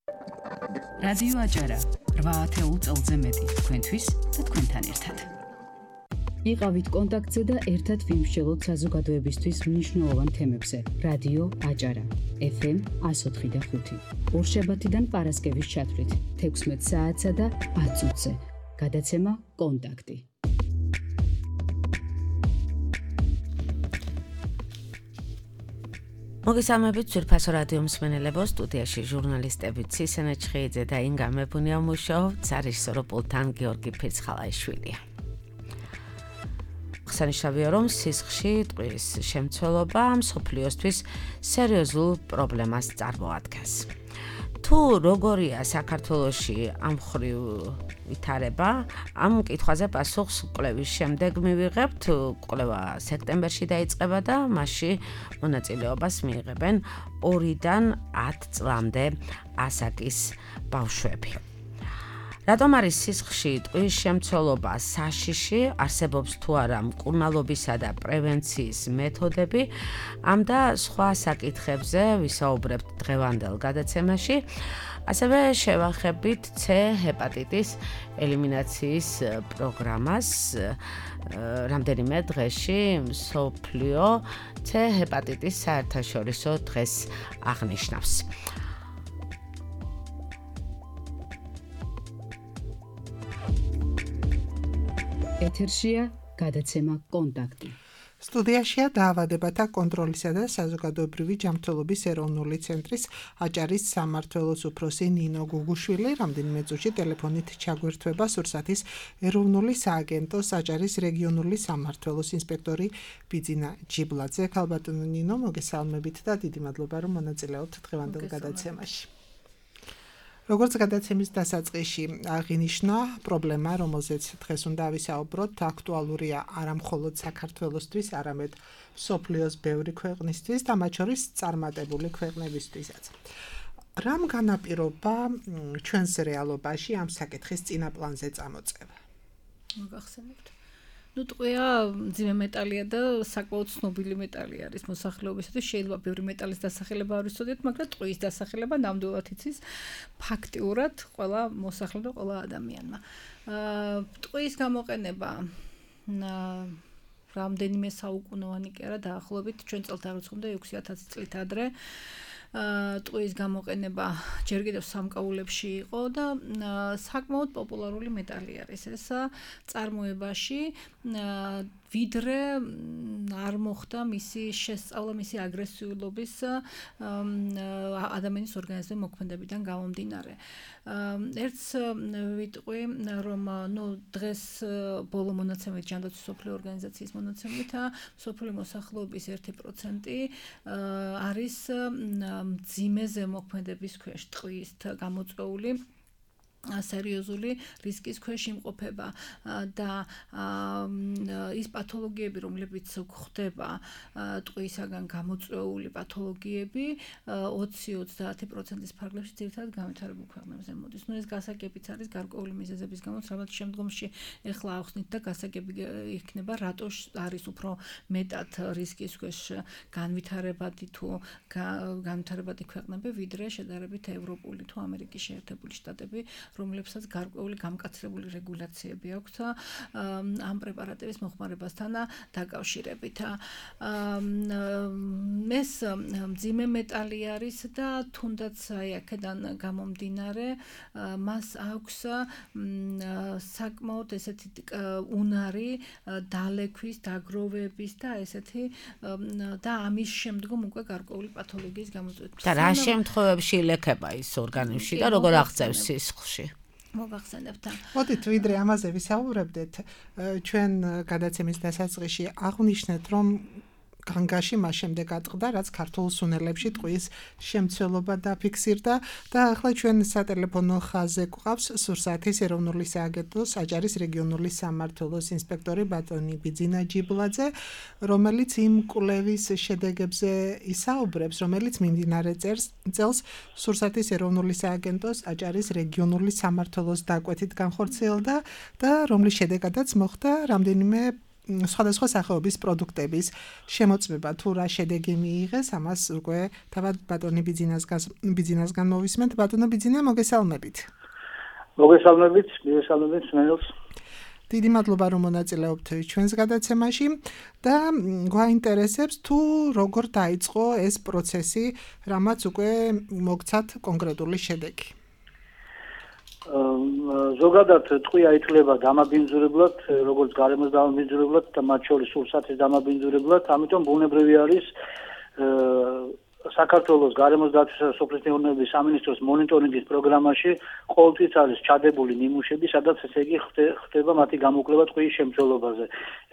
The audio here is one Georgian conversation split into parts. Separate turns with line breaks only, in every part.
რადიო აჭარა 8 წელზე მეტი თქვენთვის და თქვენთან ერთად. იყავით კონტაქტზე და ერთად ვიმსჯელოთ საზოგადოებისთვის მნიშვნელოვან თემებზე. რადიო აჭარა FM 104.5 ორშაბათიდან პარასკევის ჩათვლით 16 საათსა და 10 წუთზე. გადაცემა კონტაქტი.
მოგესალმებით ძვირფასო რადიო მსმენელებო, სტუდიაში ჟურნალისტები ცისენე ჩხეიძე და ინგა მეფუნია მუშაობთ, სარეჟისორო პულტთან გიორგი ფირცხალაიშვილია. აღსანიშნავია, რომ სისხლში ტყვის შემცველობა მსოფლიოსთვის სერიოზულ პრობლემას წარმოადგენს. თუ როგორია საქართველოში ამ მხრივ ვითარება, ამ კითხვაზე პასუხს კვლევის შემდეგ მივიღებთ. კვლევა სექტემბერში დაიწყება და მასში მონაწილეობას მიიღებენ 2-დან 10 წლამდე ასაკის ბავშვები. რატომ არის სისხლში ტყვის შემცველობა საშიში, არსებობს თუ არა მკურნალობისა და პრევენციის მეთოდები, ამ და სხვა საკითხებზე ვისაუბრებთ დღევანდელ გადაცემაში. ასევე შევახებით C ჰეპატიტის ელიმინაციის პროგრამას. რამდენიმე დღეში მსოფლიო C ჰეპატიტის საერთაშორისო დღეს აღნიშნავს.
ეთერშია გადაცემა კონტაქტი.
სტუდიაშია დაავადებათა კონტროლისა და საზოგადოებრივი ჯანმრთელობის ეროვნული ცენტრის აჭარის სამმართველოს უფროსი ნინო გუგუშვილი რამდენიმე წუთში ტელეფონით ჩაგვერთვება სურსათის ეროვნული სააგენტოს აჭარის რეგიონული სამმართველოს ინსპექტორი ბიძინა ჯიბლაძე. ქალბატონო ნინო, მოგესალმებით და დიდი მადლობა, რომ მონაწილეობთ დღევანდელ გადაცემაში. როგორც გადაცემის დასაწყისში აღინიშნა, პრობლემა, რომელზეც დღეს უნდა ვისაუბროთ, აქტუალურია არა მხოლოდ საქართველოსთვის, არამედ მსოფლიოს ბევრი ქვეყნისთვის და მათ შორის წარმატებული ქვეყნებისთვისაც. რამ განაპირობა ჩვენს რეალობაში ამ საკითხის წინაპლანზე წამოწევა?
მოგახსენებთ. ტყვია მძიმე მეტალია და საკმაოდ ცნობილი მეტალი არის მოსახლეობისათვის. შეიძლება ბევრი მეტალის დასახელება არ ვიცოდეთ, მაგრამ ტყვის დასახელება ნამდვილად იცის ფაქტიურად ყველა მოსახლე და ყველა ადამიანმა. ტყვის გამოყენება რამდენიმე საუკუნოვანი კი არა, დაახლოებით ჩვენ წელთაღრიცხვამდე 6000 წლით ადრე. ტყვის გამოყენება ჯერ კიდევ სამკაულებში იყო და საკმაოდ პოპულარული მეტალი არის ეს წარმოებაში, ვიდრე არ მოხდა მისი შესწავლა, მისი აგრესიულობის ადამიანის ორგანიზმზე მოქმედებიდან გამომდინარე. ერთს ვიტყვი, რომ დღეს ბოლო მონაცემით, ჯანდაცვის მსოფლიო ორგანიზაციის მონაცემით, მსოფლიო მოსახლეობის 1% არის მძიმე ზემოქმედების ქვეშ, ტყვით გამოწვეული სერიოზული რისკის ქვეშ იმყოფება და ის პათოლოგიები, რომლებიც გვხდება ტყვისაგან გამოწვეული პათოლოგიები 20-30%-ის ფარგლებში ძირითადად განვითარებულ ქვეყნებზე მოდის. ეს გასაგებიც არის გარკვეული მიზეზების გამო, რამაც შემდგომში ეხლა ახსნით და გასაგები იქნება, რატო არის უფრო მეტად რისკის ქვეშ განვითარებადი განვითარებადი ქვეყნები, ვიდრე შედარებით ევროპული თუ ამერიკის შეერთებული შტატები, რომლებსაც გარკვეული გამკაცრებული რეგულაციები აქვთ ამ პრეპარატების მოხმარებასთან დაკავშირებით. ეს მძიმე მეტალი არის და თუნდაც აქედან გამომდინარე მას აქვს საკმაოდ ესეთი უნარი დალექვის, დაგროვების და ესეთი და ამის შემდგომ უკვე გარკვეული პათოლოგიის გამოწვევის.
და რა შემთხვევებში ილექება ის ორგანიზმში და როგორ აღწევს სისხლში?
მოგახსენებთ.
მოდით ვიდრე ამაზე ვისაუბრებდეთ, ჩვენ გადაცემის დასაწყისში აღვნიშნეთ, რომ განგაში მას შემდეგ ატყდა, რაც ქართულ სუნელებში ტყვის შემცველობა დაფიქსირდა და ახლა ჩვენ სატელეფონო ხაზზე გვყავს სურსათის ეროვნული სააგენტოს აჭარის რეგიონული სამმართველოს ინსპექტორი ბატონი ბიძინა ჯიბლაძე, რომელიც იმ კვლევის შედეგებზე ისაუბრებს, რომელიც მიმდინარე წელს სურსათის ეროვნული სააგენტოს აჭარის რეგიონული სამმართველოს დაკვეთით განხორციელდა და რომლის შედეგადაც მოხდა რამდენიმე სხვადასხვა სახეობის პროდუქტების შემოწმება თუ რა შედეგი მიიღეს, ამას უკვე თავად ბატონი ბიძინასგან მოვისმენთ. ბატონო ბიძინა, მოგესალმებით.
მოგესალმებით მენელს.
დიდი მადლობა რომ მონაწილეობთ ჩვენს გადაცემაში და გვაინტერესებს თუ როგორ დაიწყო ეს პროცესი, რამაც უკვე მოგცათ კონკრეტული შედეგი.
ზოგადად ტყვია ითვლება დამაბინძურებლად, როგორც გარემოს დამაბინძურებლად და მათ შორის სურსათის დამაბინძურებლად, ამიტომ ბუნებრივი არის საქართველოს გარემოს დაცვისა და სოფლის მეურნეობის სამინისტროს მონიტორინგის პროგრამაში ყოველთვის არის ჩადებული ნიმუშები, სადაც ესე იგი ხდება მათი გამოკვლევა ტყუის შემცველობაზე.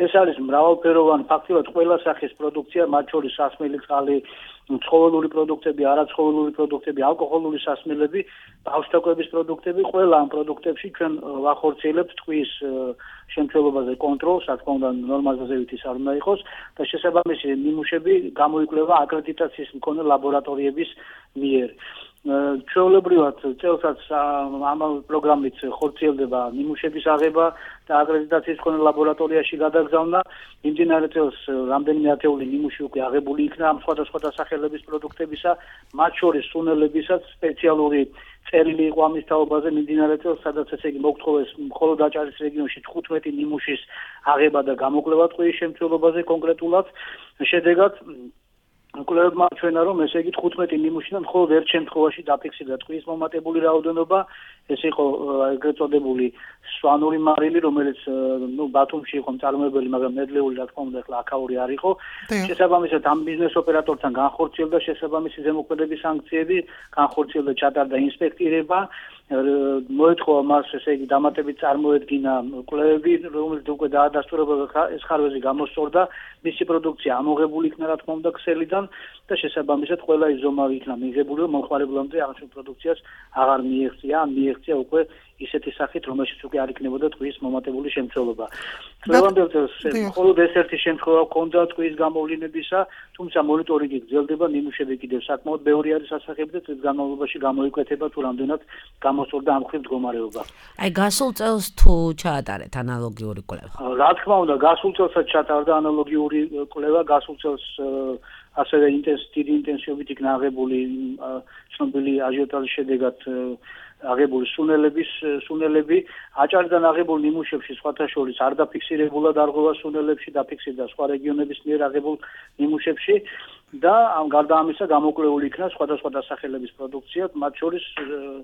ეს არის მრავალფეროვანი, ფაქტიურად ყველა სახის პროდუქცია, მათ შორის სასმელი წყალი, ცხოველური პროდუქტები, არაცხოველური პროდუქტები, ალკოჰოლური სასმელები, ბავშვთაგვების პროდუქტები, ყველა ამ პროდუქტებში ჩვენ ვახორციელებთ ტყუის შემცველობაზე კონტროლს, რა თქმა უნდა, ნორმაზე ზევითი არ უნდა იყოს და შესაბამისი ნიმუშები გამოიკვლევა აკრედიტაციის მქონე ლაბორატორიების მიერ. ჩვეულებრივად წელსაც ამ პროგრამით ხორციელდება ნიმუშების აღება და აკრედიტაციის მქონე ლაბორატორიაში გადაგზავნა. იმდენად წელს რამდენიმე ათეული ნიმუში უკვე აღებული იქნა ამ სხვადასხვა დასახელების პროდუქტებისა, მათ შორის სუნელებისაც სპეციალური წერილი იყო ამის თაობაზე მიმდინარე წელს, სადაც ესე იგი მოგთხოვეს მხოლოდ აჭარის რეგიონში 15 ნიმუშის აღება და გამოკვლევა ტყუის შემცველობაზე კონკრეტულად. შედეგად კვლევებმა ჩვენა რომ ესე იგი 15 ნიმუშიდან მხოლოდ ერთ შემთხვევაში დაფიქსირდა ტყუის მომატებული რაოდენობა, ეს იყო ეგრეთ წოდებული სვანური მარილი, რომელიც ბათუმში იყო მწარმოებელი, მაგრამ ნედლეული რა თქმა უნდა ახლა აქაური არ იყო. შესაბამისად ამ ბიზნეს ოპერატორთან განხორციელდა შესაბამისი ზემოქმედების სანქციები, განხორციელდა ჩატარდა ინსპექტირება, მოეთხოვა მას ესე იგი დამატებით წარმოედგინა კვლევები, რომელიც უკვე დაადასტურებოდა ეს ხარვეზი გამოსწორდა, მისი პროდუქცია ამოღებული იქნა რა თქმა უნდა ქსელიდან და შესაბამისად ყველა ის ზომა იქნა მიღებული, რომ მომხმარებლამდე აღნიშნულ პროდუქციას აღარ მიეღწია უკვე ისეთი სახით, რომელშიც უკვე არ იქნებოდა ტყუის მომატებული შემცველობა. დღევანდელ წელს მხოლოდ ეს ერთი შემთხვევა ჰქონდა ტყუის გამოვლინებისა, თუმცა მონიტორინგი გრძელდება, ნიმუშები კიდევ საკმაოდ ბევრი არის ასახები და წლის განმავლობაში გამოიკვეთება თუ რამდენად გამოსწორდა ამ მხრივ მდგომარეობა.
აი გასულ წელს თუ ჩაატარეთ ანალოგიური კვლევა?
რა თქმა უნდა, გასულ წელსაც ჩატარდა ანალოგიური კვლევა, გასულ წელს ასევე დიდი ინტენსივობით იქნა აღებული ცნობილი აჟიოტაჟის შედეგად აღებული სუნელები, აჭარიდან აღებულ ნიმუშებში სხვათა შორის არ დაფიქსირებულა დარღვევა სუნელებში, დაფიქსირდა სხვა რეგიონების მიერ აღებულ ნიმუშებში და გარდა ამისა გამოკვლეული იქნა სხვადასხვა დასახელების პროდუქცია, მათ შორის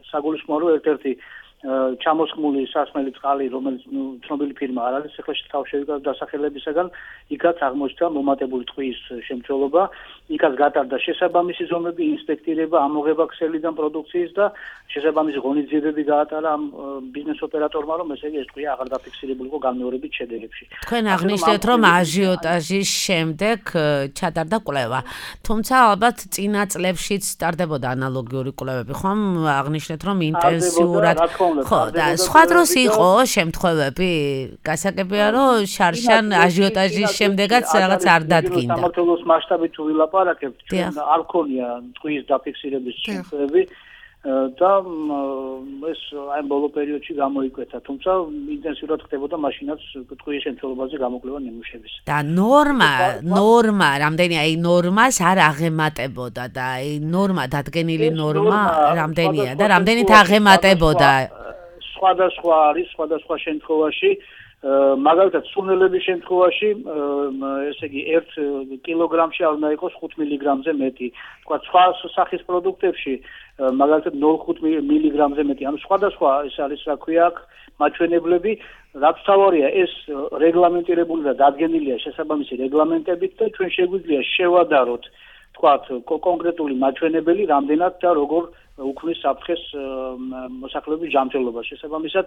საგულისხმოა რომ ერთ-ერთი ჩამოსხმული სასმელი წყალი, რომელიც ცნობილი ფირმა არ არის, ეხლა თავ შევიკავ დასახელებისაგან, იქაც აღმოჩნდა მომატებული ტყუის შემცველობა, იქაც გატარდა შესაბამისი ზომები, ინსპექტირება, ამოღება ქსელიდან პროდუქციის და შესაბამისი ღონისძიებები გაატარა ამ ბიზნეს ოპერატორმა, რომ ესე იგი ეს ტყუი აღარ დაფიქსირებულიყო განმეორებით შედეგებში.
თქვენ აღნიშნეთ, რომ აჟიოტაჟის შემდეგ ჩატარდა კვლევა, თუმცა ალბათ წინა წლებშიც ტარდებოდა ანალოგიური კვლევები, ხომ? აღნიშნეთ, რომ ინტენსიურად ხო, და სხვა დროს იყო შემთხვევები, გასაგებია, რომ შარშან აჟიოტაჟის შემდეგაც რაღაც არ დადგინდა.
საქართველოს მასშტაბით თუ ვილაპარაკებთ, არ ქონია ტყუის დაფიქსირების შემთხვევები და ეს აი ბოლო პერიოდში გამოიკვეთა, თუმცა ინტენსიურად ხდებოდა მაშინაც ტყუის შემცველობაზე გამოკვლევა ნიმუშების.
და ნორმა, რამდენი აი ნორმას არ აღემატებოდა და აი ნორმა დადგენილი ნორმა რამდენია და რამდენით აღემატებოდა?
სხვადასხვა არის, სხვადასხვა შემთხვევაში, მაგალითად სუნელების შემთხვევაში, ესე იგი 1 კილოგრამში არ უნდა იყოს 5 მილიგრამზე მეტი. თქვა სხვა სახის პროდუქტებში მაგალითად 0.5 მილიგრამზე მეტი. ანუ სხვადასხვა ეს არის, რა ქვია, მაჩვენებლები, რაც თავარია ეს რეგლამენტირებული და დადგენილია შესაბამისი რეგლამენტებით და ჩვენ შეგვიძლია შევადაროთ, თქვათ, კონკრეტული მაჩვენებელი, რამდენად და როგორ უქმნის საფრთხეს მოსახლეობის ჯანმრთელობას. შესაბამისად,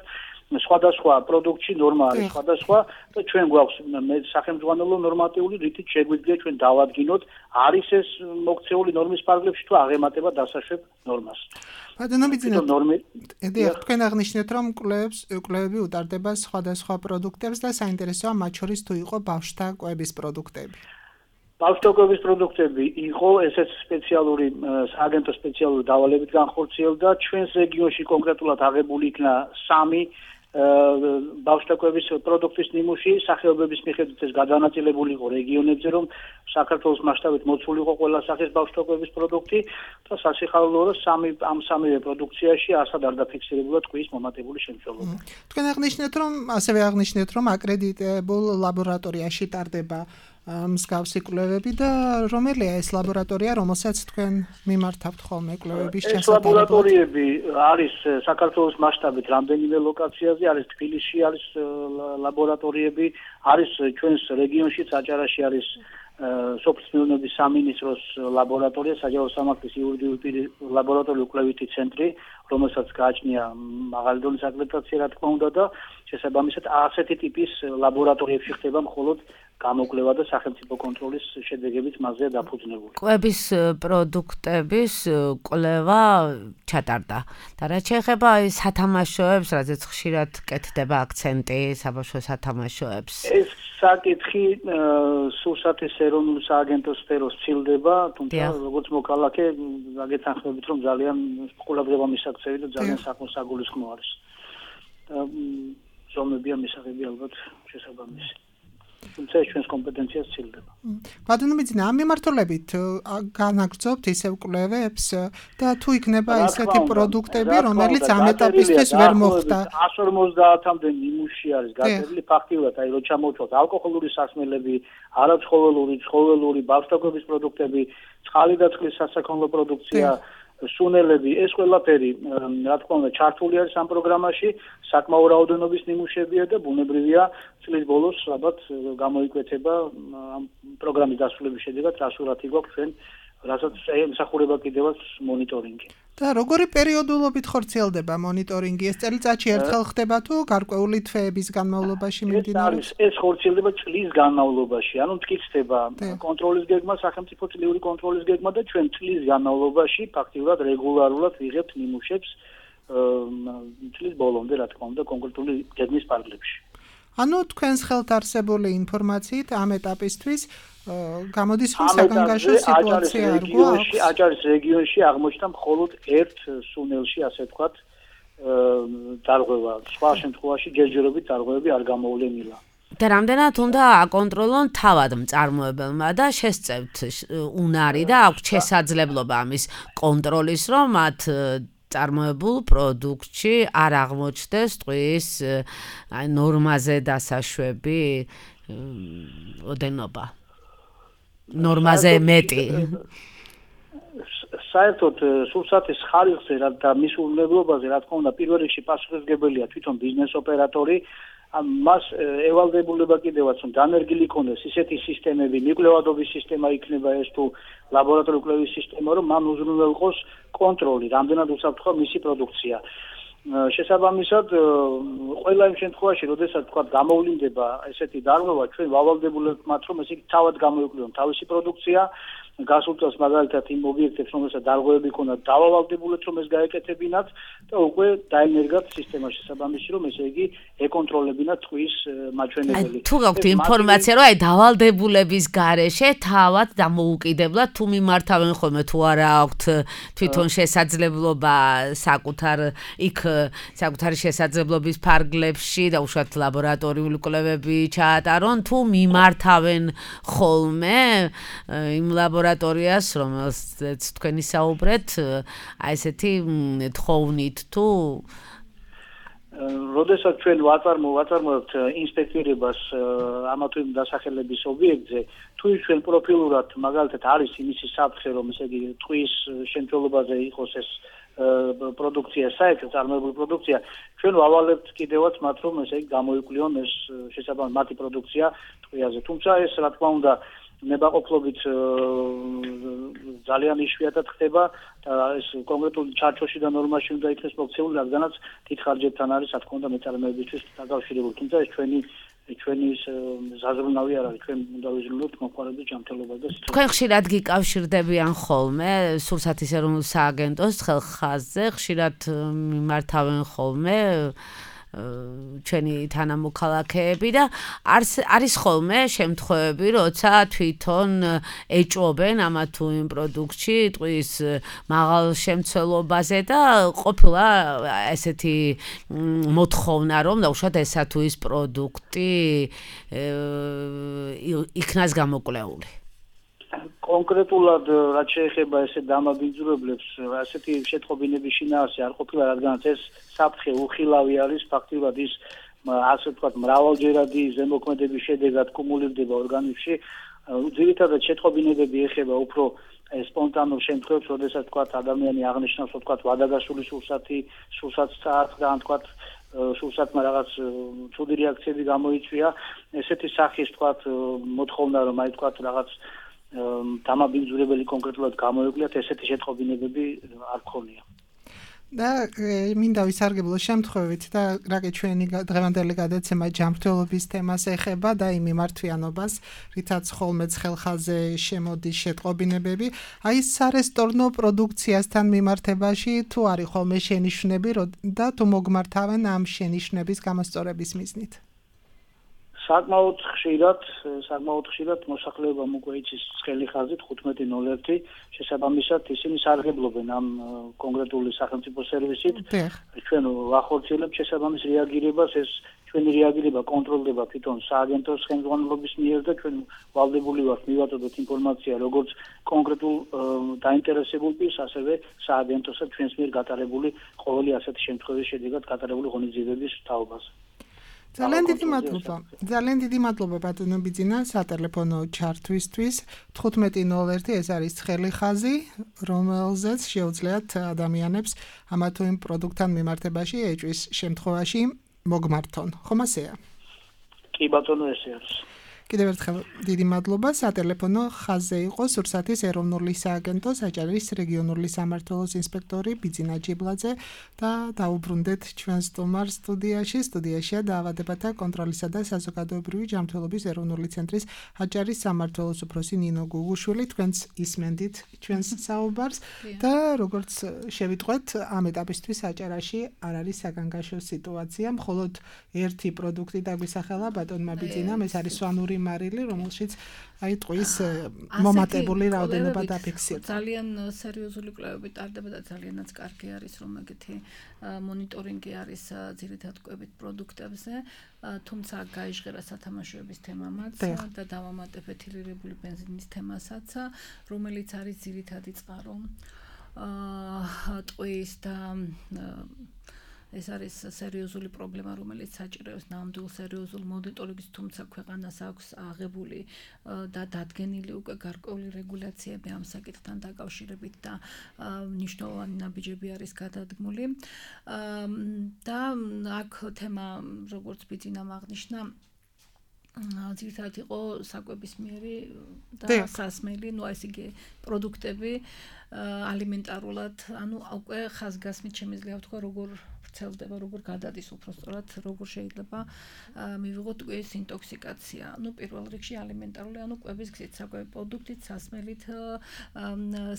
სხვადასხვა პროდუქტში ნორმა არის სხვადასხვა და ჩვენ გვაქვს სახელმძღვანელო ნორმატიული, რითიც შეგვიძლია ჩვენ დავადგინოთ, არის ეს მოქცეული ნორმის ფარგლებში თუ აღემატება დასაშვებ ნორმას.
ბატონო ბიძინა, თქვენ აღნიშნეთ, რომ კვლევები უტარდება სხვადასხვა პროდუქტებს და საინტერესოა მათ შორის თუ იყო ბავშვთა კვების პროდუქტები.
ბავშვთაგვების პროდუქტები იყო, ესეც სპეციალური სააგენტო სპეციალური დავალებით განხორციელდა. ჩვენს რეგიონში კონკრეტულად აღებული იქნა 3 ბავშვთაქვების პროდუქტის ნიმუში სახეობების მიხედვით ეს გადანაწილებული იყო რეგიონებზე, რომ საქართველოს მასშტაბით მოცული იყო ყველა სახის ბავშვთაქვების პროდუქტი და სასიხარულო ამ სამივე პროდუქციაში არსად არ დაფიქსირებულა ტყუის მომატებული შემცველობა.
თქვენ აღნიშნეთ, რომ ასევე აღნიშნეთ, რომ აკრედიტებულ ლაბორატორიაში ტარდება მსგავსი კვლევები და რომელია ეს ლაბორატორია, რომელსაც თქვენ მიმართავთ ხოლმე კვლევების
ჩასატარებლად? ეს ლაბორატორიები არის საქართველოს მასშტაბით რამდენიმე ლოკაციაზე, არის თბილისში არის ლაბორატორიები, არის ჩვენს რეგიონშიც აჭარაში არის სოფლის მეურნეობის სამინისტროს ლაბორატორია, საჯარო სამართლის იურიდიული ლაბორატორიული კვლევითი ცენტრი, რომელსაც გააჩნია მაღალი დონის აკრედიტაცია, რა თქმა უნდა და შესაბამისად ასეთი ტიპის ლაბორატორიებში ხდება მხოლოდ გამოკვლევა და სახელმწიფო კონტროლის შედეგებით მასზე დაფუძნებული.
კვების პროდუქტების კვლევა ჩატარდა. და რაც შეეხება სათამაშოებს, რაზეც ხშირად კეთდება აქცენტი საბავშვო სათამაშოებს.
ეს საკითხი სურსათის ეროვნულ სააგენტოს სფეროს ცილდება, თუმცა როგორც მოქალაქე გაგეთანხმებით, რომ ძალიან ყურადღება მისაქცევი და ძალიან საგულისხმო არის. და ზომებია მისაღები ალბათ შესაბამისი. თუმცა ეს ჩვენს კომპეტენციას ცილდება.
ბატონო მიძინა, ამ მიმართულებით განაგრძობთ ისევ კვლევებს და თუ იქნება ისეთი პროდუქტები, რომელიც ამ ეტაპისთვის ვერ მოხდა.
150-მდე ნიმუში არის გაწერილი ფაქტიურად, აი რო ჩამოვთვალოთ ალკოჰოლური სასმელები, არაცხოველური, ბავშვთაქვების პროდუქტები, წყალი და წყლის სასაქონლო პროდუქცია, სუნელები, ეს ყველაფერი, რა თქმა უნდა, ჩართული არის ამ პროგრამაში, საკმაო რაოდენობის ნიმუშებია და ბუნებრივია წლის ბოლოს ალბათ გამოიკვეთება ამ პროგრამის დასრულების შედეგად, რა სურათი გვაქვს ჩვენ, რასაც ემსახურება კიდევაც მონიტორინგი.
და როგორი პერიოდულობით ხორციელდება მონიტორინგი? ეს წელიწადში ერთხელ ხდება თუ გარკვეული თვეების განმავლობაში მიმდინარეობს?
ეს ხორციელდება წლის განმავლობაში, ანუ მტკიცდება კონტროლის გეგმა, სახელმწიფო წლიური კონტროლის გეგმა და ჩვენ წლის განმავლობაში ფაქტიურად რეგულარულად ვიღებთ ნიმუშებს წლის ბოლომდე, რა თქმა უნდა, კონკრეტული გეგმის პარალელში.
ანუ თქვენს ხელთ არსებული ინფორმაციით ამ ეტაპისთვის გამოდის რომ საგანგაშო სიტუაცია არ გვაქვს.
აჭარის რეგიონში აღმოჩნდა მხოლოდ ერთ სუნელში, ასე ვთქვათ, დარღვევა. სხვა შემთხვევაში ჯერჯერობით დარღვევები არ გამოვლენილა.
და რამდენად უნდა აკონტროლონ თავად მწარმოებელმა და შესწევთ უნარი და აქვს შესაძლებლობა ამის კონტროლის, რომ მათ წარმოებულ პროდუქტში არ აღმოჩნდეს ტყუის ნორმაზე დასაშვები ოდენობა. ნორმაზე მეტი.
საერთოდ სურსათის ხარისხზე და მის უვნებლობაზე, რა თქმა უნდა, პირველ რიგში პასუხისმგებელია თვითონ ბიზნეს ოპერატორი. მას ევალდებულება კიდევაც რომ დანერგილი იქონდეს ისეთი სისტემები, მიკვლევადობის სისტემა იქნება ეს თუ ლაბორატორიული კვლევის სისტემა, რომ მან უზრუნველყოს იყოს კონტროლი, რამდენად უსაფრთხოა მისი პროდუქცია. შესაბამისად, ყველა იმ შემთხვევაში, როდესაც თქვა გამოვლინდება ესეთი დარღვევა, ჩვენ ვავალდებულებთ მათ, რომ ესე იგი თავად გამოიკვლიონ თავისი პროდუქცია, გასულ წელს მაგალითად იმ ობიექტებს, რომელსაც დარღვევები ჰქონდათ, დავავალდებულეთ, რომ ეს გაეკეთებინათ და უკვე დაენერგათ სისტემა შესაბამისი, რომ ესე იგი ეკონტროლებინათ ტყუის მაჩვენებელი.
თუ გაქვთ ინფორმაცია, რომ აი დავალდებულების გარეშე თავად დამოუკიდებლად თუ მიმართავენ ხოლმე თუ არა აქვთ თვითონ შესაძლებლობა საკუთარი შესაძლებლობის ფარგლებში და უშუალოდ ლაბორატორიული კვლევები ჩაატარონ, თუ მიმართავენ ხოლმე იმ ლაბორატორიას, რომელსაც თქვენი საუბრეთ, აი ესეთი თხოვნით თუ
როდესაც ჩვენ ვაწარმოებთ ინსპექტირებას ამა თუ იმ დასახელების ობიექტზე, თუ ჩვენ პროფილურად მაგალითად არის იმისი საფრთხე, რომ ესე იგი ტყუის შემცველობაზე იყოს ეს პროდუქცია, საერთოდ წარმოებული პროდუქცია, ჩვენ ვავალებთ კიდევაც მათ, რომ ესე იგი გამოიკვლიონ ეს შესაბამისი მათი პროდუქცია ტყუიაზე. თუმცა ეს რა თქმა უნდა ნებაყოფლობით ძალიან იშვიათად ხდება და ეს კონკრეტული ჩარჩოში და ნორმაში უნდა იქნეს მოქცეული, რადგანაც დიდ ხარჯებთან არის, რა თქმა უნდა, მეწარმეებისთვის დაკავშირებული. თუმცა ეს ჩვენი ზაზრუნავი არ არის, ჩვენ უნდა ვიზრუნოთ მომხმარებლის ჯანმრთელობას და სიცოცხლეს.
თქვენ ხშირად გიკავშირდებიან ხოლმე სურსათის ეროვნულ სააგენტოს ხელხაზზე, ხშირად მიმართავენ ხოლმე ჩვენი თანამოქალაქეები და არის ხოლმე შემთხვევები, როცა თვითონ ეჭვობენ ამა თუ იმ პროდუქტში ტყვის მაღალ შემცველობაზე და ყოფილა ესეთი მოთხოვნა, რომ დაუშვათ ესა თუ ის პროდუქტი იქნას გამოკვლეული.
კონკრეტულად რაც შეეხება ესე დამაბინძურებლებს, ასეთი შეტყობინების შინაარსი არ ყოფილა, რადგანაც ეს საფრთხე უხილავი არის, ფაქტიურად ის ასე ვთქვათ, მრავალჯერადი ზემოქმედების შედეგად კუმულირდება ორგანიზმში. ძირითადად შეტყობინებები ეხება უფრო სპონტანურ შემთხვევებს, როდესაც ვთქვათ, ადამიანი აღნიშნავს, ვთქვათ, ვადაგასული სულსაც წააწყდა, ვთქვათ, სულსათმა რაღაც ცუდი რეაქციები გამოიწვია. ესეთი სახის ვთქვათ, მოთხოვნა, რომ აი ვთქვათ, რაღაც დამაბინძურებელი კონკრეტულად გამოეკვლიათ, ესეთი შეტყობინებები არ ქონია.
და მინდა ვისარგებლო შემთხვევით და რაკი ჩვენი დღევანდელი გადაცემა ჯანმრთელობის თემას ეხება და იმ მიმართვიანობას, რითაც ხოლმეც ხელხაზე შემოდის შეტყობინებები, აი სარესტორნო პროდუქციასთან მიმართებაში თუ არის ხოლმე შენიშვნები და თუ მოგმართავენ ამ შენიშვნების გამოსწორების მიზნით.
საკმაოდ ხშირად მოსახლეობამ უკვე იცის ცხელი ხაზით 1501 შესაბამისად ისინი სარგებლობენ ამ კონკრეტული სახელმწიფო სერვისით. ჩვენ ვახორციელებთ შესაბამის რეაგირებას, ეს ჩვენი რეაგირება კონტროლდება თვითონ სააგენტოს ხელმძღვანელობის მიერ და ჩვენ ვალდებული ვართ მივაწოდოთ ინფორმაცია როგორც კონკრეტულ დაინტერესებულ პირს, ასევე სააგენტოსა ჩვენს მიერ გატარებული ყოველი ასეთი შემთხვევის შედეგად გატარებული ღონისძიებების თაობაზე.
ძალიან დიდი მადლობა ბატონო ბიძინა სატელეფონო ჩართვისთვის. 1501 ეს არის ცხელი ხაზი, რომელზეც შეუძლიათ ადამიანებს ამა თუ იმ პროდუქტთან მიმართებაში ეჭვის შემთხვევაში მოგმართონ. ხომ ასეა?
კი ბატონო, ესე არის.
კიდევ ერთხელ დიდი მადლობა. სატელეფონო ხაზზე იყო სურსათის ეროვნული სააგენტო საჭარის რეგიონული სამმართველოს ინსპექტორი ბიძინა ჯიბლაძე და დაუბრუნდეთ ჩვენ სტუმარ სტუდიაშია დაავადებათა კონტროლისა და საზოგადოებრივი ჯანმრთელობის ეროვნული ცენტრის აჭარის სამმართველოს უფროსი ნინო გუგუშვილი. თქვენც ისმენდით ჩვენს საუბარს და როგორც შევიტყვეთ, ამ ეტაპისთვის აჭარაში არ არის საგანგაშო სიტუაცია, მხოლოდ ერთი პროდუქტი დაგვისახელა ბატონმა ბიძინამ, ეს არის სვანური მარილი, რომელშიც აი ტყვის მომატებული რაოდენობა დაფიქსირდა.
ძალიან სერიოზული კვლევები ტარდება და ძალიანაც კარგი არის, რომ ეგეთი მონიტორინგი არის ძირითადად კვებით პროდუქტებზე, თუმცა გაიჟღერა სათამაშოების თემამაც და დავამატებ ეთილირებული ბენზინის თემასაც, რომელიც არის ძირითადი წყარო ტყვის და ეს არის სერიოზული პრობლემა, რომელიც საჭიროებს ნამდვილ სერიოზულ მონიტორინგს, თუმცა ქვეყანას აქვს აღებული და დადგენილი უკვე გარკვეული რეგულაციები ამ საკითხთან დაკავშირებით და მნიშვნელოვანი ნაბიჯები არის გადადგმული. და აქ თემა, როგორც ბიძინამ აღნიშნა, ძირითადად იყო საკვებისმიერი და სასმელი, ესე იგი პროდუქტები ალიმენტარულად, უკვე ხაზგასმით შემიძლია ვთქვა, როგორ ვრცელდება, როგორ გადადის უпростоრად, როგორ შეიძლება მივიღოთ ტყვის ინტოქსიკაცია. პირველ რიგში ალიმენტარული, კვების გზით, საკვები პროდუქტით, სასმელით,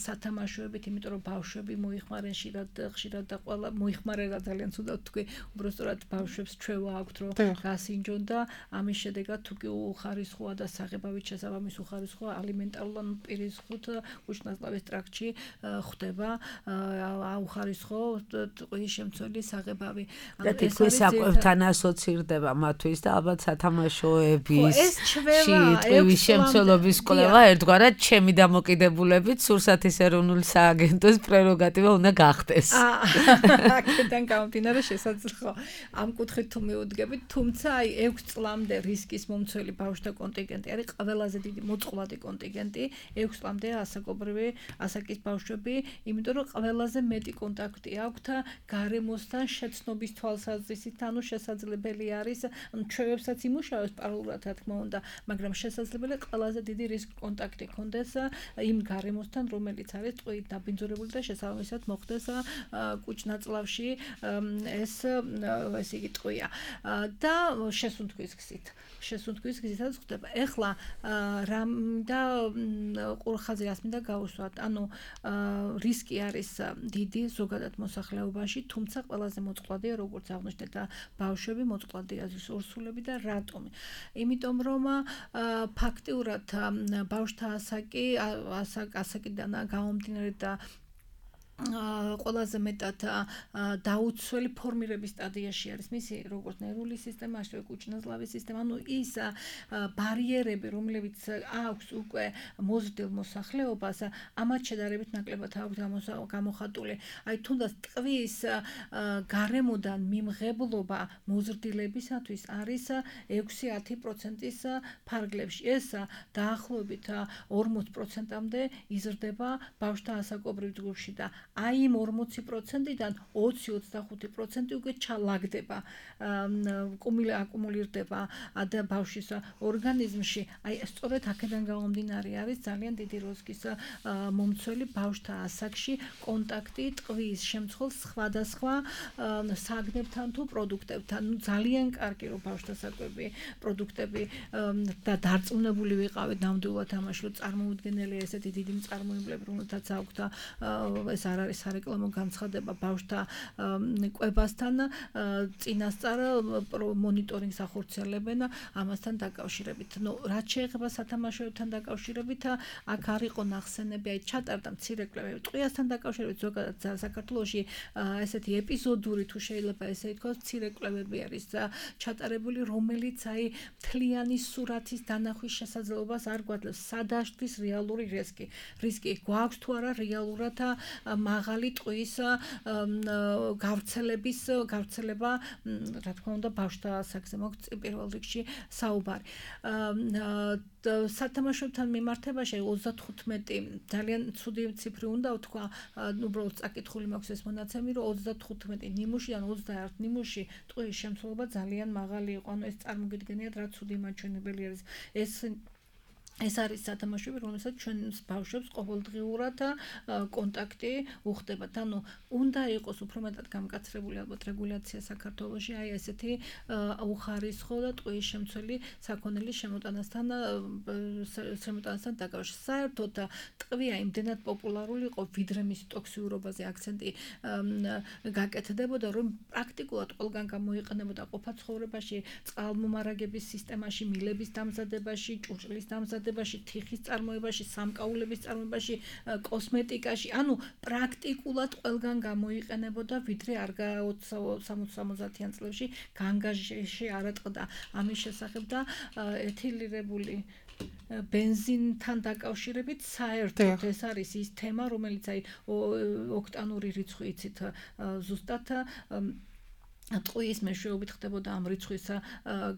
სათამაშოებით, იმიტომ რომ ბავშვები მოიხმარენ ხშირად და ყველა მოიხმარება ძალიან ცუდად თქვი, უпростоრად ბავშვებს ჩვევა აქვთ, რომ გასინჯონ და ამის შედეგად თუ კი უხარისხოა და საღებავით შესაბამის უხარისხოა ალიმენტარულად პირის ხუთ უშნაწლავის ტრაქტში ხდება აუხარისხო ტყვის შემცველი საღებავი.
და თითქოს საკვებთან ასოცირდება მათთვის და ალბათ სათამაშოების ტყვის შემცველობის კვლევა ერთგვარად ჩემი დამოკიდებულებით სურსათის ეროვნული სააგენტოს პრეროგატივა უნდა გახდეს.
აქედან გამომდინარე შესაძლოა ამ კუთხით თუ მიუდგებით, თუმცა აი 6 წლამდე რისკის მომცველი ბავშვთა კონტინგენტი არის ყველაზე დიდი მოწყვლადი კონტინგენტი, 6 წლამდე ასაკობრივი ასაკის ბავშვები, იმიტომ რომ ყველაზე მეტი კონტაქტი აქვთ გარემოსთან შეცნობის თვალსაზრისით, შესაძლებელი არის, ჩვევებსაც იმუშავებს პარალელურად, რა თქმა უნდა, მაგრამ შესაძლებელია ყველაზე დიდი რისკ კონტაქტი ქონდეს იმ გარემოსთან, რომელიც არის ტყუით დაბინძურებული და შესაბამისად მოხდეს კუჭნაწლავში ესე იგი ტყვია და შესუნთქვის გზითაც ხდება. ეხლა რამ და ყურხაზე რას მინდა გავუსვათ, რისკი არის დიდი ზოგადად მოსახლეობაში, თუმცა ყველაზე მოწყვლადია როგორც აღნიშნეთ ბავშვები, მოწყვლადია ორსულები და რატომ? იმიტომ რომ ფაქტიურად ბავშვთა ასაკიდან გამომდინარე და ყველაზე მეტად დაუცველი ფორმირების სტადიაში არის მისი როგორც ნერვული სისტემა, ასევე კუჭნაზლავის სისტემა, ანუ ის ბარიერები, რომლებიც აქვს უკვე მოზრდილ მოსახლეობას, ამათ შედარებით ნაკლებად აქვს გამოხატული. აი თუნდაც ტყვის გარემოდან მიმღებლობა მოზრდილებისათვის არის 6-10%-ის ფარგლებში. ეს დაახლოებით 40%-მდე იზრდება ბავშვთა ასაკობრივ ჯგუფში და აი იმ 40%-დან 20-25% უკვე ჩალაგდება, აკუმულირდება ბავშვის ორგანიზმში. აი სწორედ აქედან გამომდინარე არის ძალიან დიდი რისკის მომცველი ბავშვთა ასაკში კონტაქტი ტყვის შემცველ სხვადასხვა საგნებთან თუ პროდუქტებთან. ძალიან კარგი რომ ბავშვთა საკვები პროდუქტები და დარწმუნებული ვიყავით ნამდვილად ამაში, რომ წარმოუდგენელია ესეთი დიდი მწარმოებლები, რომელთაც აქვთ ეს არ არის სარეკლამო განცხადება ბავშვთა კვებასთან, წინასწარ მონიტორინგს ახორციელებენ ამასთან დაკავშირებით. რაც შეეხება სათამაშოებთან დაკავშირებით, აქ არ იყო ნახსენები, აი ჩატარდა მცირე კვლევები ტყვიასთან დაკავშირებით, ზოგადად საქართველოში ესეთი ეპიზოდური თუ შეიძლება ესე ითქვას, მცირე კვლევები არის ჩატარებული, რომელიც აი მთლიანი სურათის დანახვის შესაძლებლობას არ გვაძლევს, სადაშლის რეალური რისკი. გვაქვს თუ არა რეალურად მაღალი ტყვის გავრცელება, რა თქმა უნდა, ბავშვთა ასაკზე მოგვწ პირველ რიგში საუბარი. სათამაშოებთან მიმართებაში 35 ძალიან ცუდი ციფრი უნდა ვთქვა, უბრალოდ წაკითხული მაქვს ეს მონაცემი, რომ 35 ნიმუშიდან 21 ნიმუში ტყვის შემცველობა ძალიან მაღალი იყო, ანუ ეს წარმოგიდგენიათ რა ცუდი მაჩვენებელი არის. ეს არის სათამაშოები, რომელსაც ჩვენს ბავშვებს ყოველდღიურად კონტაქტი უხდებათ. ანუ უნდა იყოს უფრო მეტად გამკაცრებული ალბათ რეგულაცია საქართველოში, აი ესეთი უხარისხო და ტყვის შემცველი საქონელის შემოტანასთან დაკავშირებით. საერთოდ ტყვია იმდენად პოპულარული იყო, ვიდრე მისი ტოქსიურობაზე აქცენტი გაკეთდებოდა, რომ პრაქტიკულად ყველგან გამოიყენებოდა ყოფა ცხოვრებაში, წყალმომარაგების სისტემაში, მილების დამზადებაში, ჭურჭლის დამზადებაში, თიხის წარმოებაში, სამკაულების წარმოებაში, კოსმეტიკაში, ანუ პრაქტიკულად ყველგან გამოიყენებოდა, ვიდრე არ 60-70-იან წლებში განგაჟში არ ატყდა. ამის შესახებ და ეთილირებული ბენზინთან დაკავშირებით საერთოდ ეს არის ის თემა, რომელიც აი ოქტანური რიცხვი იცით ზუსტად ტყვის მეშვეობით ხდებოდა ამ რიცხვის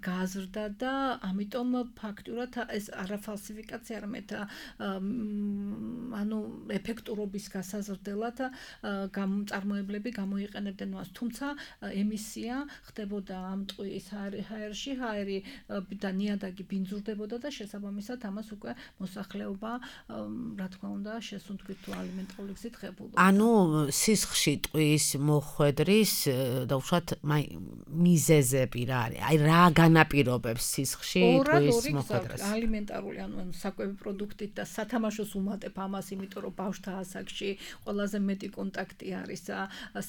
გაზრდა და ამიტომ ფაქტურად ეს არა ფალსიფიკაცია, არამედ ანუ ეფექტურობის გასაზრდელად წარმოებლები გამოიყენებდნენ მას. თუმცა ემისია ხდებოდა ამ ტყვის ჰაერში, ჰაერი და ნიადაგი ბინძურდებოდა და შესაბამისად ამას უკვე მოსახლეობა, რა თქმა უნდა, შესუნთქვით თუ ალიმენტარული გზით ღებულობდა.
ანუ სისხლში ტყვის მოხვედრის და უშუალოდ მიზეზები რა არის? აი რა განაპირობებს სისხლში ტყვის მოხვედრას?
ალიმენტარული, ანუ საკვები პროდუქტით და სათამაშოს უმატებ ამას, იმიტომ რომ ბავშვთა ასაკში ყველაზე მეტი კონტაქტი არის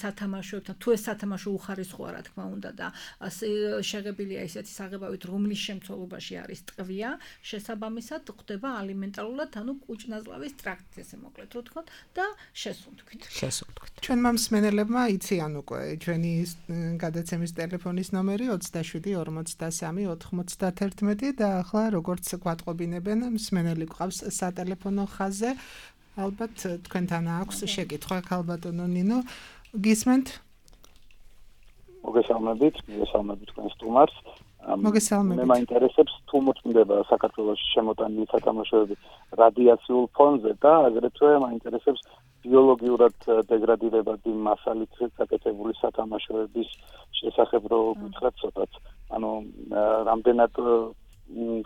სათამაშოებთან. თუ ეს სათამაშო უხარისხოა, რა თქმა უნდა და შეღებილია ისეთი საღებავით, რომლის შემცველობაში არის ტყვია, შესაბამისად ხდება ალიმენტარულად, ანუ კუჭნაზლავის ტრაქტი, ესე მოკლედ რო თქვა და შესუნთქვით.
ჩვენმა მსმენელებმა იციან უკვე ჩვენი გადაცემის ტელეფონის ნომერი 27-53-91 და ახლა როგორც გვატყობინებენ, მსმენელი გვყავს სატელეფონო ხაზზე. ალბათ თქვენთან აქვს შეკითხვა, ქალბატონო ნინო, გისმენთ?
მოგესალმებით თქვენ სტუმარს.
მოგესალმებით.
მე მაინტერესებს თუ მოწმდება საქართველოში შემოტანილი სათამაშოები რადიაციულ ფონზე და აგრეთვე მაინტერესებს ბიოლოგიურად დეგრადირებადი მასალით გაკეთებული სათამაშოების შესახებ რო გითხრათ ცოტაც. ანუ რამდენად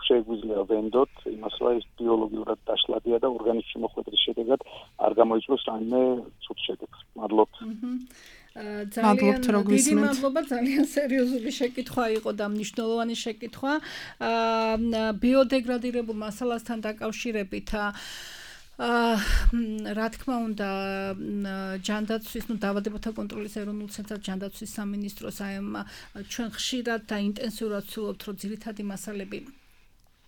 შეგვიძლია ვენდოთ იმას, რომ ის ბიოლოგიურად დაშლადია და ორგანიზმში მოხვედრის შედეგად არ გამოიწვევს რაიმე ცუდ შედეგს. მადლობთ.
ძალიან დიდი მადლობა, ძალიან სერიოზული შეკითხვა იყო და მნიშვნელოვანი შეკითხვა. ბიოდეგრადირებულ მასალასთან დაკავშირებით რა თქმა უნდა ჯანდაცვის დაავადებათა კონტროლის ეროვნულ ცენტრად ჯანდაცვის სამინისტროს აი ჩვენ ხშირად და ინტენსიურად ვცდილობთ რომ ძირითადი მასალები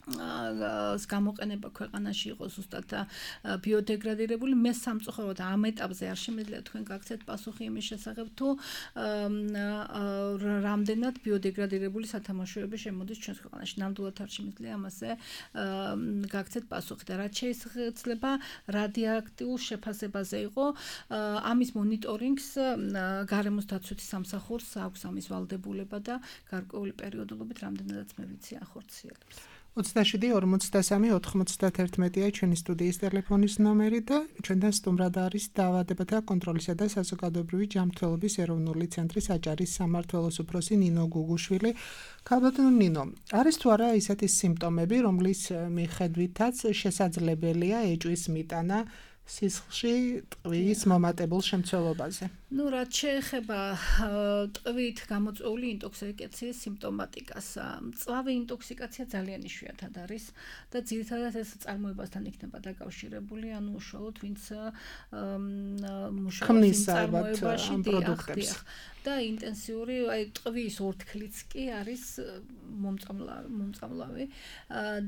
გამოყენება ქვეყანაში იყოს ზუსტად ბიოდეგრადირებული მე სამწუხაროდ ამ ეტაპზე არ შემიძლია თქვენ გაგცეთ პასუხი იმის შესახებ თუ რამდენად ბიოდეგრადირებული სათამაშოები შემოდის ჩვენს ქვეყანაში ნამდვილად არ შემიძლია ამაზე გაგცეთ პასუხი და რაც შეიძლება რადიოაქტიურ შეფასებაზე იყო ამის მონიტორინგს გარემოს დაცვითი სამსახურს აქვს ამის ვალდებულება და გარკვეული პერიოდულობით რამდენადაც მე ვიცი ახორციელებს
27-53-91-ია ჩვენი სტუდიის ტელეფონის ნომერი და ჩვენთან სტუმრად არის დაავადებათა კონტროლისა და საზოგადოებრივი ჯანმრთელობის ეროვნული ცენტრის აჭარის სამმართველოს უფროსი ნინო გუგუშვილი. ქალბატონო ნინო, არის თუ არა ისეთი სიმპტომები, რომლის მიხედვითაც შესაძლებელია ეჭვის მიტანა სისხლში ტყვის მომატებულ შემცველობაზე?
Ну, რაც შეეხება ტყვით გამოწვეული ინტოქსიკაციის სიმპტომატიკას, მწვავე ინტოქსიკაცია ძალიან იშვიათად არის და ძირითადად ეს წარმოებასთან იქნება დაკავშირებული, ანუ უშუალოდ ვინც მუშაობს წარმოებაში და ინტენსიური აი ტყვის ორთქლიც კი არის მომწამლავი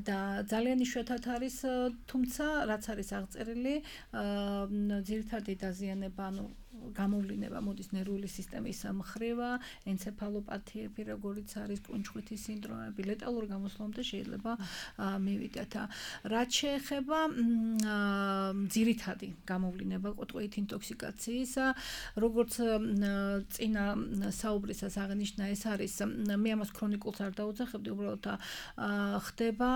და ძალიან იშვიათად არის, თუმცა რაც არის აღწერილი, ძირითადი დაზიანება, ანუ გამოვლინება მოდის ნერვული სისტემის მხრივა, ენცეფალოპათიები, როგორიც არის კუნჩხვითის სინდრომები, ლეტალურ გამოსვლამდე შეიძლება მივიდეთ. რაც შეეხება ძირითადი გამოვლინება ტყვით ინტოქსიკაციის, როგორც წინა საუბრისას აღნიშნა, ეს არის მე ამას ქრონიკულს არ დაუძახებდი, უბრალოდ ხდება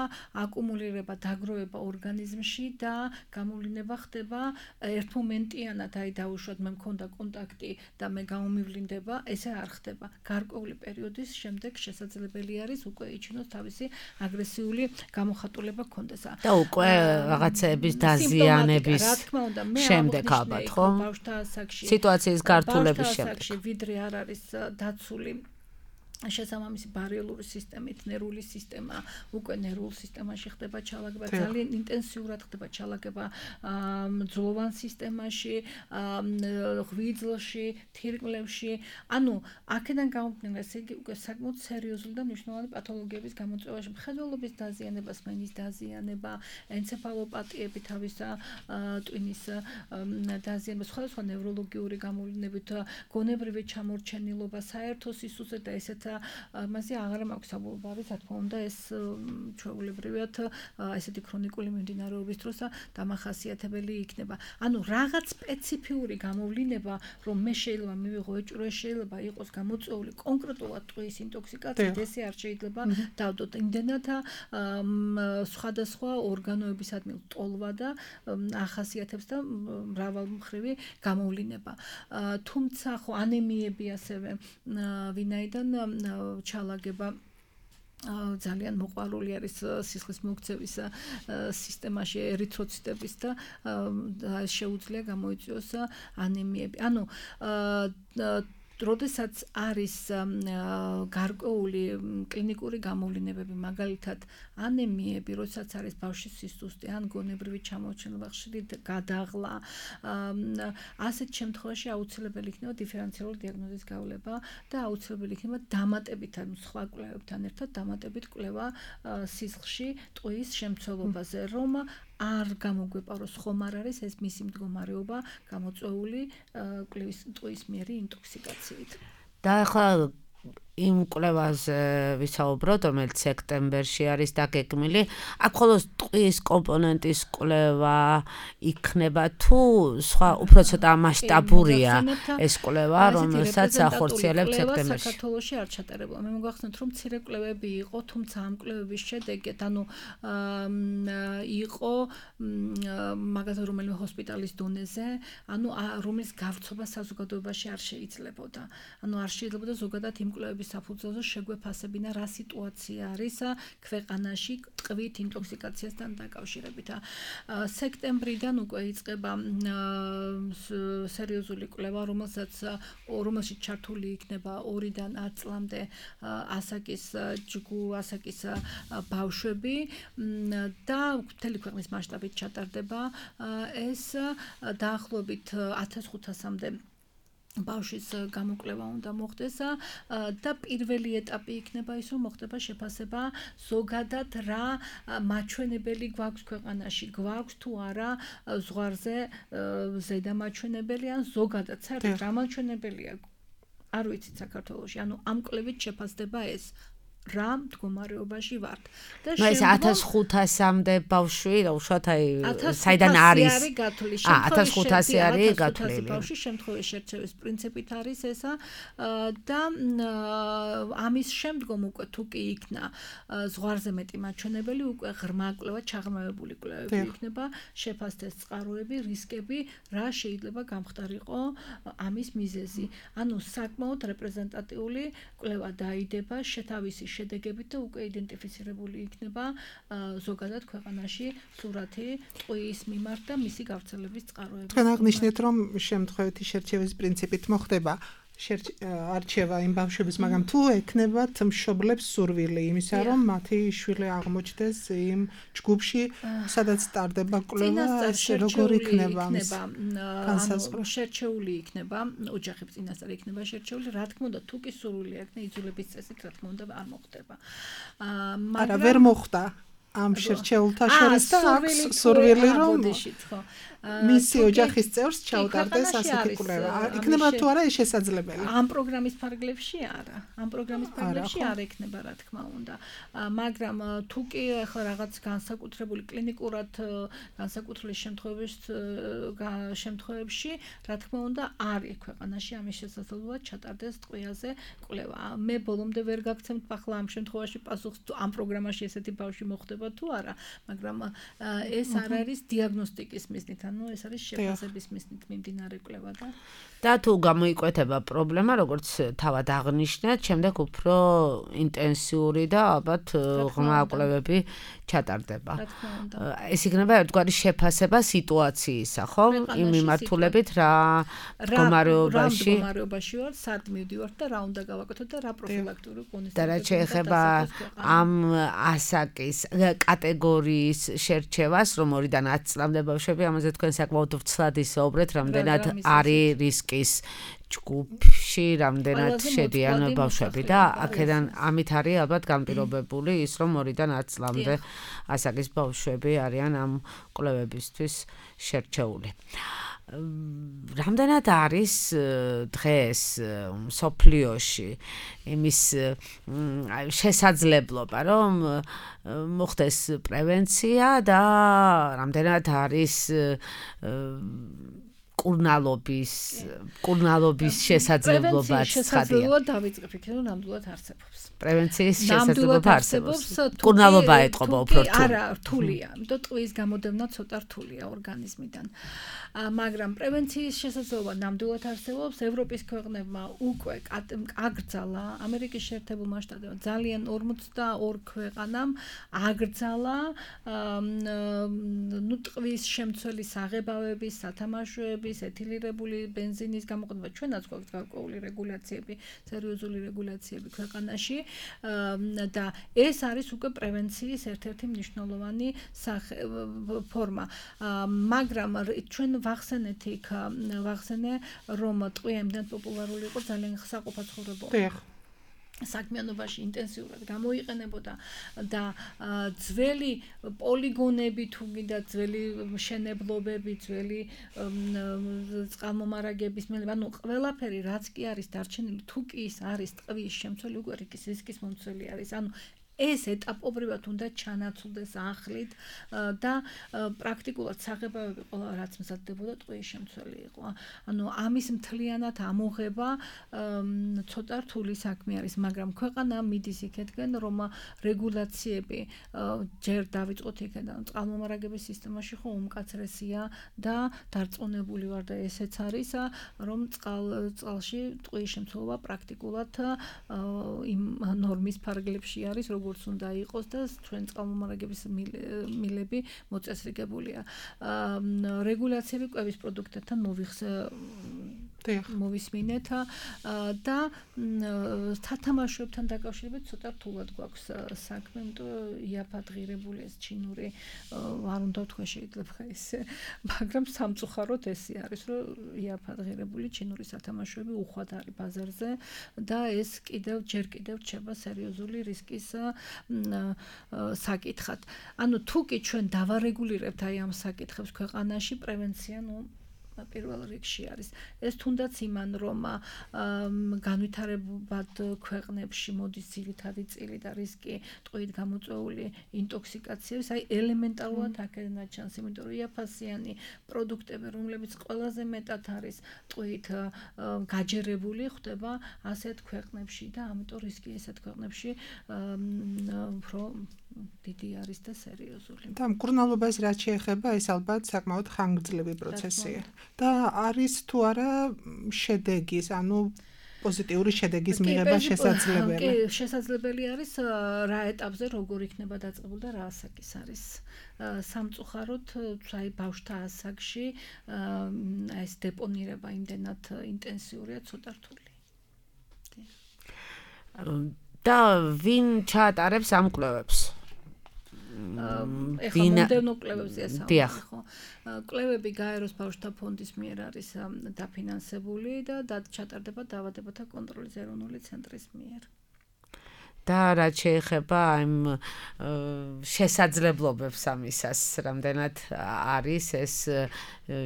აკუმულირება, დაგროვება ორგანიზმში და გამოვლინება ხდება ერთმომენტიანად, აი დავუშვათ მე მქონდა კონტაქტი და მე გამომივლინდება, ესე არ ხდება. გარკვეული პერიოდის შემდეგ შესაძლებელი არის უკვე იჩინოს თავისი აგრესიული გამოხატულება გქონდეს.
და უკვე რაღაცების დაზიანების შემდეგ ალბათ, ხო? სიტუაციის გართულების შემდეგ.
ვიდრე არ არის დაცული შესაბამისი ბარიელური სისტემით, ნერვული სისტემა, უკვე ნერვულ სისტემაში ხდება ჩალაგება, ძალიან ინტენსიურად ხდება ჩალაგება მძვლოვან სისტემაში, ღვიძლში, თირკმლებში. ანუ აქედან გამომდინარე, ესე იგი უკვე საკმაოდ სერიოზული და მნიშვნელოვანი პათოლოგიების გამოწვევაში, მხედველობის დაზიანება, სმენის დაზიანება, ენცეფალოპათიები თავისა ტვინის დაზიანება, სხვადასხვა ნევროლოგიური გამოვლინებით, გონებრივი ჩამორჩენილობა, საერთო სისუსტე და ესეთ მასე აღარ მაქვს საბოლოო, რა თქმა უნდა, ეს ჩვეულებრივად ესეთი ქრონიკული მიმდინარეობის დროს დამახასიათებელი იქნება. ანუ რაღაც სპეციფიური გამოვლინება, რომ მე შეიძლება მივიღო ეჭვი, შეიძლება იყოს გამოწვეული კონკრეტულად ტყვის ინტოქსიკაციით, ესე არ შეიძლება დავდოთ. იმდენად სხვადასხვა ორგანოებისადმი ტოლვა და ახასიათებს და მრავალმხრივი გამოვლინება. თუმცა ხო ანემიები ასევე ვინაიდან ჩალაგება ძალიან მოყვარული არის სისხლის მოქცევის სისტემაში ერითროციტების და შეუძლია გამოიწვიოს ანემიები. ანუ როდესაც არის გარკვეული კლინიკური გამოვლინებები, მაგალითად ანემიები, როდესაც არის ბავშვის სისუსტე ან გონებრივი ჩამორჩენება, ხშირი გადაღლა, ასეთ შემთხვევაში აუცილებელი იქნება დიფერენციალური დიაგნოზის გავლება და აუცილებელი იქნება დამატებით, ანუ სხვა კვლევებთან ერთად დამატებით კვლევა სისხლში ტყვის შემცველობაზე, რომ არ გამოგვეპაროს ხომ არ არის ეს მისი მდგომარეობა გამოწვეული ტყვის მიერი ინტოქსიკაციით.
და ახლა იმ კვლევაზე ვისაუბროთ, რომელიც სექტემბერში არის დაგეგმილი, აქ ხოლოს ტყვის კომპონენტის კვლევა იქნება თუ სხვა უფრო ცოტა მასშტაბურია ეს კვლევა, რომელსაც ახორციელებთ სექტემბერში.
საქართველოში არ ჩატარებულა. მე მოგახსენოთ, რომ მცირე კვლევები იყო, თუმცა ამ კვლევების შედეგად, ანუ იყო მაგალითად რომელიმე ჰოსპიტალის დონეზე, ანუ რომლის გავრცობა საზოგადოებაში არ შეიძლებოდა. ანუ არ შეიძლებოდა ზოგადად იმ კვლევების საფუძველზე შეგვეფასებინა რა სიტუაცია არის ქვეყანაში ტყვით ინტოქსიკაციასთან დაკავშირებით. სექტემბრიდან უკვე იწყება სერიოზული კვლევა, რომელშიც ჩართული იქნება 2-დან 10 წლამდე ასაკის ბავშვები და მთელი ქვეყნის მასშტაბით ჩატარდება ეს დაახლოებით 1500-მდე ბავშვის გამოკვლევა უნდა მოხდეს და პირველი ეტაპი იქნება ის, რომ მოხდება შეფასება ზოგადად რა მაჩვენებელი გვაქვს ქვეყანაში, გვაქვს თუ არა ზღვარზე ზედა მაჩვენებელი ან ზოგადად საერთოდ რა მაჩვენებელია არ ვიცით საქართველოში, ანუ ამ კვლევით შეფასდება ეს რა მდგომარეობაში ვართ და
ეს 1500-მდე ბავშვი უშუალოდ საიდან არის 1500 არის გათვლილი
ბავშვი შემთხვევის შერჩევის პრინციპით არის ესა და ამის შემდგომ უკვე თუ კი იქნა ზღვარზე მეტი მაჩვენებელი უკვე ღრმა კვლევა ჩაღრმავებული კვლევები იქნება შეფასდეს წყაროები რისკები რა შეიძლება გამხდარიყო ამის მიზეზი ანუ საკმაოდ რეპრეზენტატიული კვლევა დაიდება შეთავისი შედეგებით და უკვე იდენტიფიცირებული იქნება ზოგადად ქვეყანაში სურათი ტყუის მიმართ და მისი გავრცელების წყაროები.
თქვენ აღნიშნეთ, რომ შემთხვევითი შერჩევის პრინციპით მოხდება არჩევა იმ ბავშვების, მაგრამ თუ ექნებათ მშობლებს სურვილი იმისა, რომ მათი შვილი აღმოჩნდეს იმ ჯგუფში, სადაც ტარდება კვლევა, ეს როგორ იქნება
ანუ შერჩეული იქნება, ოჯახების წინასწარ იქნება შერჩეული, რა თქმა უნდა, თუ კი სურვილი აქვს, იძულების წესით, რა თქმა უნდა, არ მოხდება.
არა, ვერ მოხდა ამ შერჩეულთა შორის და აქვს სურვილი, რომ მისი ოჯახის წევრს ჩაუტარდეს ასეთი კვლევა. იქნება თუ არა ეს შესაძლებელი?
ამ პროგრამის ფარგლებში არა. ამ პროგრამის ფარგლებში არ ექნება, რა თქმა უნდა. მაგრამ თუ კი ახლა რაღაც განსაკუთრებული კლინიკურად განსაკუთრებული შემთხვევებში, რა თქმა უნდა, არის ქვეყანაში ამის შესაძლებლობა ჩატარდეს ტყვიაზე კვლევა. მე ბოლომდე ვერ გაგცემთ ახლა ამ შემთხვევაში პასუხს თუ ამ პროგრამაში ესეთი ბავშვი მოხდება თუ არა, მაგრამ ეს არ არის დიაგნოსტიკის მიზნით, ანუ ეს არის შეფასების მიზნით მიმდინარე კვლევა
და თუ გამოიკვეთება პრობლემა, როგორც თავად აღნიშნეთ, შემდეგ უფრო ინტენსიური და ალბათ ღრმა კვლევები ჩატარდება. ეს იქნება ერთგვარი შეფასება სიტუაციისა, ხო? იმ მიმართულებით რა მდგომარეობაში
ვარ, სად მივდივართ და რა უნდა გავაკეთოთ და რა პროფილაქტური კონსულტაცია
და რა შეეხება ამ ასაკის კატეგორიის შერჩევას, რომ 2-დან 10 წლამდე ბავშვები, ამაზე თქვენ საკმაოდ ვრცლად ისაუბრეთ, რამდენად არის რისკის ჯგუფში, რამდენად შედიან ბავშვები და აქედან ამით არის ალბათ განპირობებული ის, რომ 2-დან 10 წლამდე ასაკის ბავშვები არიან ამ კვლევებისთვის შერჩეული. რამდენად არის დღეს მსოფლიოში იმის შესაძლებლობა, რომ მოხდეს პრევენცია და რამდენად არის კურნალობის შესაძლებლობა ცხადია.
დავიწყებ იქ, რომ ნამდვილად არსებობს.
პრევენციის შესაძლებლობა არსებობს. კურნალობა ეტყობა უფრო რთული.
არა, რთულია. იმიტომ ტყვის გამოდევნა ცოტა რთულია ორგანიზმიდან. მაგრამ პრევენციის შესაძლებლობა ნამდვილად არსებობს. ევროპის ქვეყნებმა უკვე აკრძალა, ამერიკის შეერთებულმა შტატებმა ძალიან 42 ქვეყანამ აკრძალა ტყვის შემცველი საღებავების, სათამაშოების, ეთილირებული ბენზინის გამოყენება. ჩვენაც გვაქვს გარკვეული რეგულაციები, სერიოზული რეგულაციები ქვეყანაში და ეს არის უკვე პრევენციის ერთ-ერთი მნიშვნელოვანი ფორმა. მაგრამ ჩვენ ვახსენე, რომ ტყვია იმდენ პოპულარული იყო, ძალიან საყოფაცხოვრებო საქმიანობაში ინტენსიურად გამოიყენებოდა და ძველი პოლიგონები თუ გინდა ძველი მშენებლობები, ძველი წყალმომარაგების ანუ ყველაფერი რაც კი არის დარჩენილი, თუ კი ის არის ტყვის შემცველი, უკვე რისკის მომცველი არის. ანუ ეს ეტაპობრივად უნდა ჩანაცვლდეს ახლით და პრაქტიკულად საღებავები ყველა რაც მზადდებოდა ტყუის შემცველი იყო. ანუ ამის მთლიანად ამოღება ცოტა რთული საქმე არის, მაგრამ ქვეყანა მიდის იქეთკენ, რომ რეგულაციები ჯერ დავიწყოთ იქიდან, წყალმომარაგების სისტემაში ხო უმკაცრესია და დარწმუნებული ვარ და ესეც არის, რომ წყალში ტყუის შემცველობა პრაქტიკულად იმ ნორმის ფარგლებში არის, როგორც უნდა იყოს და ჩვენ წყალმომარაგების მილები მოწესრიგებულია. რეგულაციები კვების პროდუქტებთან მოვისმინეთ და სათამაშოებთან დაკავშირებით ცოტა რთულად გვაქვს საქმე, იმიტომ იაფად ღირებული ეს ჩინური არ უნდა თქვა შეიძლება ესე, მაგრამ სამწუხაროდ ესე არის, რომ იაფად ღირებული ჩინური სათამაშოები უხვად არის ბაზარზე და ეს ჯერ კიდევ რჩება სერიოზული რისკის საკითხად. ანუ თუკი ჩვენ დავარეგულირებთ აი ამ საკითხებს ქვეყანაში, პრევენცია პირველ რიგში არის. ეს თუნდაც იმან რომ განვითარებად ქვეყნებში მოდის ძირითადი წილი და რისკი ტყუით გამოწვეული ინტოქსიკაციების, აი ელემენტარულად აქედან ჩანს, იმიტომ რომ იაფასიანი პროდუქტები, რომლებიც ყველაზე მეტად არის ტყუით გაჯერებული, ხდება ასეთ ქვეყნებში და ამიტომ რისკი ესეთ ქვეყნებში უფრო დიდი არის და სერიოზული.
და მკურნალობას რაც შეეხება, ეს ალბათ საკმაოდ ხანგრძლივი პროცესია. და არის თუ არა შედეგის, ანუ პოზიტიური შედეგის მიღება შესაძლებელი.
კი, შესაძლებელი არის რა ეტაპზე როგორ იქნება დაწყებული და რა ასაკის არის. სამწუხაროდ, აი ბავშვთა ასაკში ეს დეპონირება იმდენად ინტენსიურია, ცოტა რთული.
და ვინ ჩაატარებს ამ კვლევებს?
ეხლა მომდევნო კვლევებზეა საუბარი, ხო? კვლევები გაეროს ბავშვთა ფონდის მიერ არის დაფინანსებული და ჩატარდება დაავადებათა კონტროლის ეროვნული ცენტრის მიერ.
და რაც შეეხება იმ შესაძლებლობებს ამისას, რამდენად არის ეს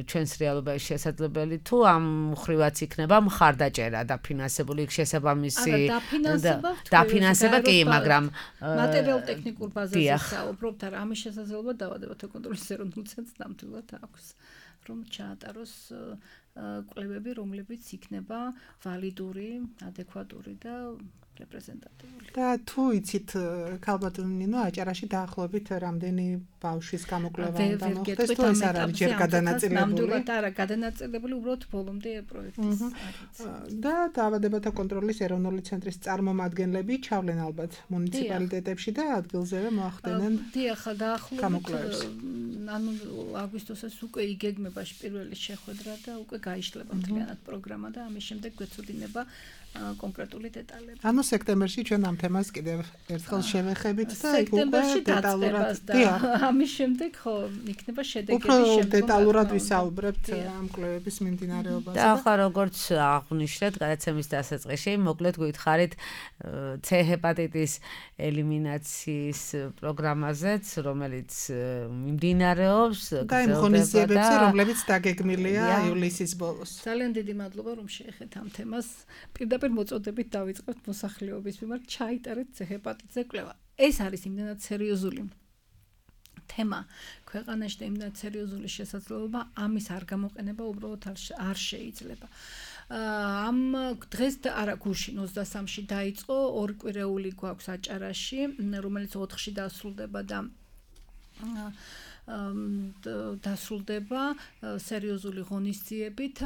ჩვენს რეალობაში შესაძლებელი, თუ ამ მხრივაც იქნება მხარდაჭერა დაფინანსებული შესაბამისი დაფინანსება კი, მაგრამ
მატერიალურ-ტექნიკურ ბაზაზე საუბრობთ, არა ამის შესაძლებლობა დაავადებათა კონტროლის ეროვნულ ცენტრს ნამდვილად აქვს, რომ ჩაატაროს კვლევები, რომლებიც იქნება ვალიდური, ადეკვატური და რეპრეზენტატიული.
და თუ იცით, ქალბატონი ნინო, აჭარაში დაახლოებით რამდენი ბავშვის გამოკვლევა უნდა მოხდეს, თუ ეს არ არის ჯერ გადანაწილებული?
ნამდვილად არა, გადანაწილებული უბრალოდ ბოლომდე პროექტის არის.
და დაავადებათა კონტროლის ეროვნული ცენტრის წარმომადგენლები ჩავლენ ალბათ მუნიციპალიტეტებში და ადგილზევე მოახდენენ.
დიახ, დაახლოებით ანუ აგვისტოსას უკვე იგეგმება პირველი შეხვედრა და უკვე გაიშლება მთლიანად პროგრამა და ამის შემდეგ გვეცოდინება კონკრეტული დეტალები.
ანუ სექტემბერში ჩვენ ამ თემას კიდევ ერთხელ შევეხებით და
სექტემბერში დაწყებას და ამის შემდეგ ხო იქნება შედეგები
უფრო დეტალურად ვისაუბრებთ ამ კვლევების მიმდინარეობაზე.
და ახლა როგორც აღვნიშნეთ გადაცემის დასაწყისში, მოკლედ გვითხარით C ჰეპატიტის ელიმინაციის პროგრამაზეც, რომელიც მიმდინარეობს
და იმ ღონისძიებებზე, რომლებიც დაგეგმილია ივლისის ბოლოს.
ძალიან დიდი მადლობა რომ შეეხეთ ამ თემას. პირდაპირ მოწოდებით დავიწყებთ მოსახლეობის მიმართ ჩაიტარეთ C ჰეპატიტზე კვლევა. ეს არის იმდენად სერიოზული თემა ქვეყანაში და იმდენად სერიოზული შესაძლებლობა, ამის არ გამოყენება უბრალოდ არ შეიძლება. ამ დღეს არა გუშინ 23-ში დაიწყო ორკვირეული გვაქვს აჭარაში, რომელიც 4-ში დასრულდება და დასრულდება სერიოზული ღონისძიებით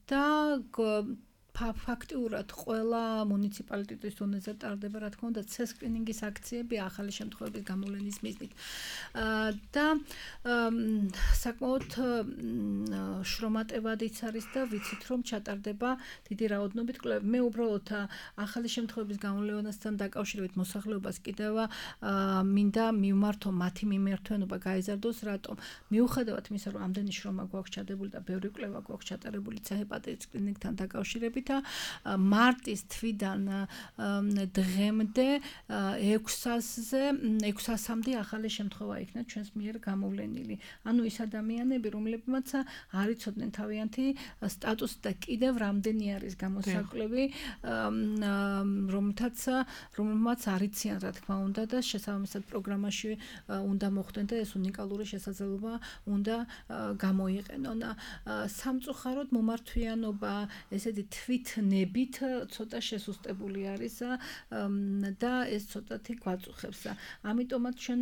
და ფაქტიურად ყველა მუნიციპალიტეტის დონეზე ტარდება, რა თქმა უნდა, C-სკრინინგის აქციები ახალი შემთხვევების გამოვლენის მიზნით. და საკმაოდ შრომატევადიც არის და ვიცით, რომ ჩატარდება დიდი რაოდენობით კვლევები. მე უბრალოდ ახალი შემთხვევების გამოვლენასთან დაკავშირებით მოსახლეობას კიდევ მინდა მივმართო მათი მიმართვენობა გაიზარდოს, რატომ? მიუხედავად იმისა, რომ ამდენი შრომა გვაქვს ჩადებული და ბევრი კვლევა გვაქვს ჩატარებული C ჰეპატიტის სკრინინგთან დაკავშირებით, მიხედვით მარტის თვიდან დღემდე 600-მდე ახალი შემთხვევა იქნა ჩვენს მიერ გამოვლენილი. ანუ ის ადამიანები, რომლებმაც არ იცოდნენ თავიანთი სტატუსი და კიდევ რამდენი არის გამოსაკლები, რომელმაც არ იციან, რა თქმა უნდა, და შესაბამისად პროგრამაში უნდა მოხვდნენ და ეს უნიკალური შესაძლებლობა უნდა გამოიყენონ. სამწუხაროდ მომართვიანობა ესეთი თვითნებით ცოტა შესუსტებული არის და ეს ცოტათი გვაწუხებს. ამიტომაც ჩვენ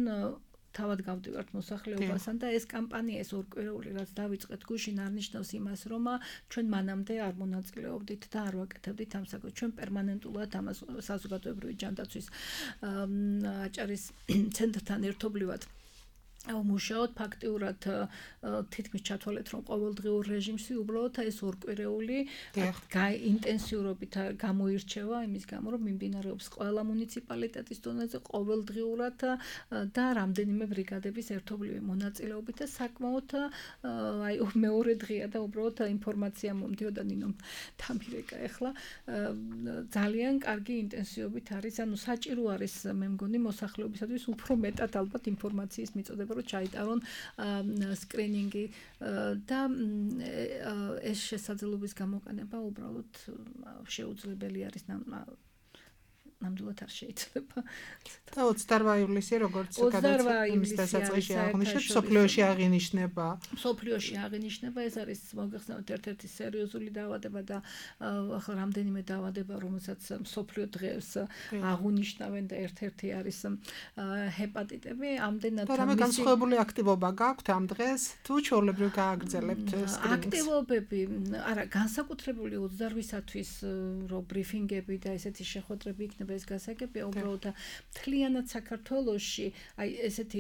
თავად გავდივართ მოსახლეობასთან და ეს კამპანია, ეს ორკვირეული, რაც დავიწყეთ გუშინ, არ ნიშნავს იმას, რომ ჩვენ მანამდე არ მონაწილეობდით და არ ვაკეთებდით ამ საქმეს. ჩვენ პერმანენტულად ამას საზოგადოებრივი ჯანდაცვის აჭარის ცენტრთან ერთობლივად მუშაობთ. ფაქტიურად თითქმის ჩათვალეთ, რომ ყოველდღიურ რეჟიმში უბრალოდ ეს ორკვირეული ინტენსიურობით გამოირჩევა იმის გამო, რომ მიმდინარეობს ყველა მუნიციპალიტეტის დონეზე ყოველდღიურად და რამდენიმე ბრიგადების ერთობლივი მონაწილეობით და საკმაოდ მეორე დღეა და უბრალოდ ინფორმაცია მომდიოდა ნინომ თამირეკა ახლა ძალიან კარგი ინტენსივობით არის, ანუ საჭირო არის მე მგონი მოსახლეობისათვის უფრო მეტად ალბათ ინფორმაციის მიწოდება, რომ ჩაიტარონ სკრინინგი და ეს შესაძლებლობის გამოყენება უბრალოდ შეუძლებელი არის ნამდვილად არ შეიძლება.
და 28 ივლისი როგორც გადაწყვეტილების დასაწყისში აღნიშნეთ, სოფლიოში აღინიშნება.
სოფლიოში აღინიშნება, ეს არის მოგეხსენოთ ერთ-ერთი სერიოზული დაავადება და ახლა რამდენიმე დაავადება, რომელსაც სოფლიო დღეს აღუნიშნავენ და ერთ-ერთი არის ჰეპატიტები. ამდენად
რამე განსხვავებული აქტივობა გაქვთ ამ დღეს? თუ ჩვეულებრივ გააგრძელებთ სკრინინგს?
აქტივობები, არა, განსაკუთრებული 28-ისთვის რო ბრიფინგები და ესეთი შეხვედრები იქნება ეს გასაგებია, უბრალოდ მთლიანად საქართველოში აი ესეთი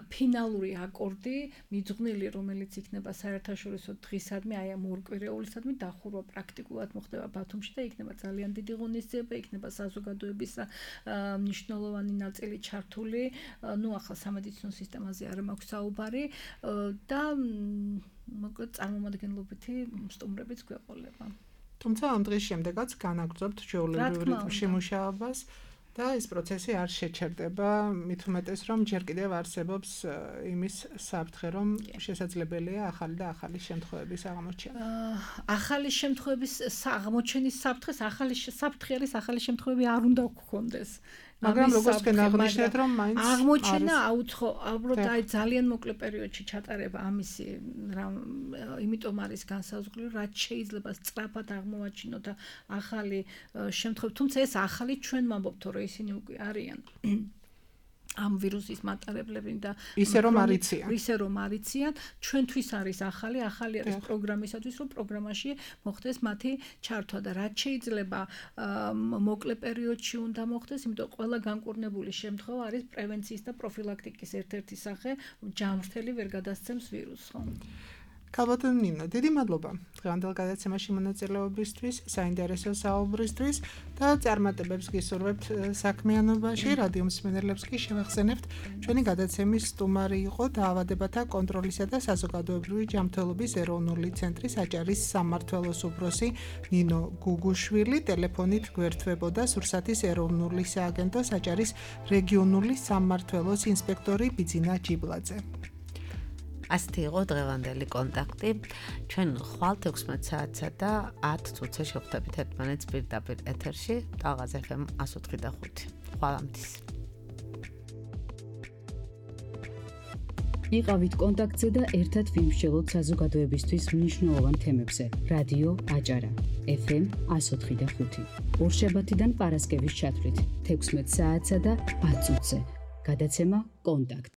ფინალური აკორდი მიძღვნილი, რომელიც იქნება საერთაშორისო დღისადმი, აი ამ ორკვირეულისადმი დახურვა პრაქტიკულად მოხდება ბათუმში და იქნება ძალიან დიდი ღონისძიება, იქნება საზოგადოების მნიშვნელოვანი ნაწილი ჩართული. ნუ ახლა სამედიცინო სისტემაზე არ მაქვს საუბარი და მოკლედ წარმომადგენლობითი სტუმრებიც გვეყოლება.
თუმცა ამ დღის შემდეგაც განაგრძობთ ჩვეულებრივ რიტმში მუშაობას და ეს პროცესი არ შეჩერდება, მით უმეტეს რომ ჯერ კიდევ არსებობს იმის საფრთხე, რომ შესაძლებელია ახალი და ახალი შემთხვევების აღმოჩენა.
ახალი შემთხვევების აღმოჩენის საფრთხეს, ახალი საფრთხე არის ახალი შემთხვევები არ უნდა გქონდეს.
მაგრამ როგორც აღნიშნეთ, რომ მაინც
აღმოჩენა უბრალოდ აი ძალიან მოკლე პერიოდში ჩატარება ამისი იმიტომ არის განსაზღვრული, რაც შეიძლება სწრაფად აღმოვაჩინოთ ახალი შემთხვევები, თუმცა ეს ახალი ჩვენ ვამბობთ, რომ ისინი უკვე არიან ამ ვირუსის მატარებლები და
ისე რომ არიციან, ჩვენთვის არის ახალი არის პროგრამისათვის, რომ პროგრამაში მოხდეს მათი ჩართვა და რაც შეიძლება მოკლე პერიოდში უნდა მოხდეს, იმიტომ ყველა განკურნებული შემთხვევა არის პრევენციის და პროფილაქტიკის ერთ-ერთი სახე, ჯანმრთელი ვერ გადასცემს ვირუსს, ხო? ქალბატონო ნინო, დიდი მადლობა დღევანდელ გადაცემაში მონაწილეობისთვის, საინტერესო საუბრისთვის და წარმატებებს გისურვებთ საქმიანობაში. რადიო მსმენელებს კი შევახსენებთ, ჩვენი გადაცემის სტუმარი იყო დაავადებათა კონტროლისა და საზოგადოებრივი ჯანმრთელობის ეროვნული ცენტრის აჭარის სამმართველოს უფროსი ნინო გუგუშვილი. ტელეფონით გვერდთვებოდა სურსათის ეროვნული სააგენტოს აჭარის რეგიონული სამმართველოს ინსპექტორი ბიძინა ჯიბლაძე.
ასეთი იყო დღევანდელი კონტაქტი. ჩვენ ხვალ 16 საათსა და 10 წუთზე შევხვდებით ერთმანეთს პირდაპირ ეთერში. ტალღაზ FM 104.5. ხვალამდის.
იყავით კონტაქტზე და ერთად ვიმსჯელოთ საზოგადოებისთვის მნიშვნელოვან თემებზე. რადიო აჭარა FM 104.5. ორშაბათიდან პარასკევის ჩათვლით 16 საათსა და 10 წუთზე. გადაცემა კონტაქტ